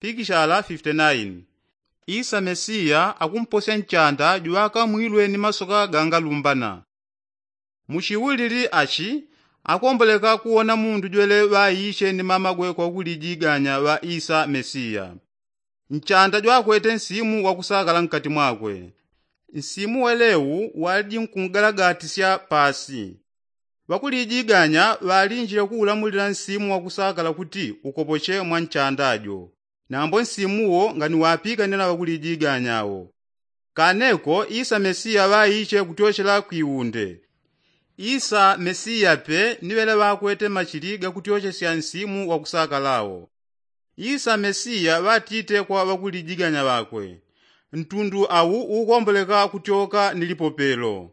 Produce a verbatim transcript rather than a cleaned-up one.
pikishala fifite naini. Isa mesiya akumposya nchanda jwakamwilwe ni masoka gangalumbana. Muchiwulili achi akomboleka kuwona mundu jwele ŵaiche ni mamagwe kwa kulijiganya ŵa isa mesiya. Nchanda jwakwete nsimu wakusakala nkati mwakwe. Nsimu welewu waliji nkungalagatisya pasi. Ŵakulijiganya ŵalinjile kuulamulila nsimu wakusakala kuti ukopoche mwa nchanda jo. Nambo nsimu wo nganiwapikanila ŵakulijiganya wo. Kaneko isa mesiya ŵaiche kutyochela kwiwunde. Isa mesiya pe ni ŵele ŵakwete machili gakutyochesya nsimu wakusakala wo. Isa mesiya ŵatite kwa ŵakulijiganya ŵakwe, ntundu awu ukomboleka kutyoka ni lipopelo.